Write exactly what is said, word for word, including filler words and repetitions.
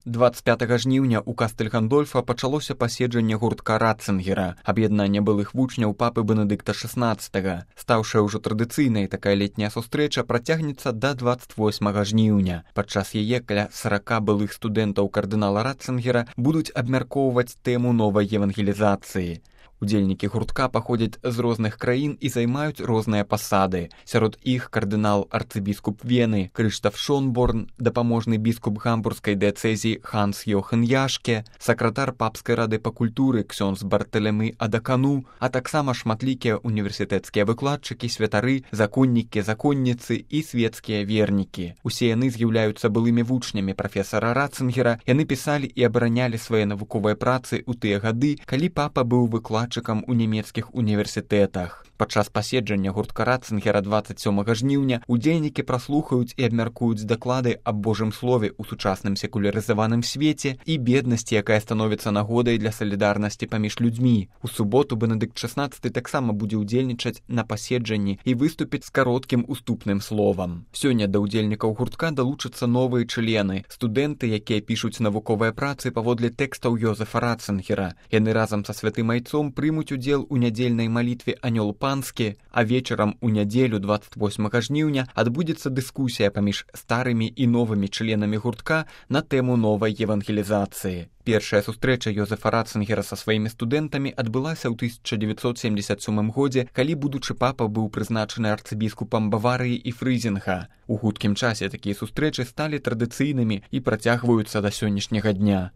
дваццаць пятага жніўня ў Кастэль-Гандольфа пачалося паседжанне гуртка Ратцынгера, аб'яднання былых вучняў папы Бенедыкта шаснаццатага. Стаўшая ўжо традыцыйнай, такая летняя сустрэча працягнецца да дваццаць восьмага жніўня. Падчас яе каля сарака былых студэнтаў кардынала Ратцынгера будуць абмяркоўваць тэму новай евангелізацыі. Удзельнікі гуртка паходзяць з розных краін і займаюць розныя пасады. Сярод іх кардынал-арцыбіскуп Вены Крыштаф Шонборн, дапаможны біскуп гамбургскай дыяцэзіі Ханс Йохан Яшке, сакратар папскай рады па культуры ксёндз Бартэлемы Адакану, а таксама шматлікія універсітэцкія выкладчыкі, святары, законнікі, законніцы і свецкія вернікі. Усе яны з'яўляюцца былымі вучнямі прафесара Ратцынгера. Яны пісалі і абаранялі свае навуковыя працы ў тыя гады, калі папа быў выкладчыкам у нямецкіх універсітэтах. Падчас паседжання гуртка Ратцынгера дваццаць сёмага жніўня удзельнікі праслухаюць і абмяркуюць даклады аб Божым слове ў сучасным секулярызаваным свеце і беднасці, якая становіцца нагодай для салідарнасці паміж людзьмі. У суботу Бенедыкт шаснаццаты таксама будзе ўдзельнічаць на паседжанні і выступіць з кароткім уступным словам. Сёння да ўдзельнікаў гуртка далучацца новыя члены, студэнты, якія пішуць навуковыя працы паводле тэкстаў Йозефа Ратцынгера. Яны разам са святым айцом прымуць удзел у нядзельнай малітве «Анёл панскі», а вечарам у нядзелю дваццаць восьмага жніўня адбудзецца дыскусія паміж старымі і новымі членамі гуртка на тэму новай евангелізацыі. Першая сустрэча Йозефа Ратцынгера са сваімі студэнтамі адбылася ў тысяча дзевяцьсот семдзесят сёмым годзе, калі будучы папа быў прызначаны арцыбіскупам Баварыі і Фрызінга. У хуткім часе такія сустрэчы сталі традыцыйнымі і працягваюцца да сённяшняга дня.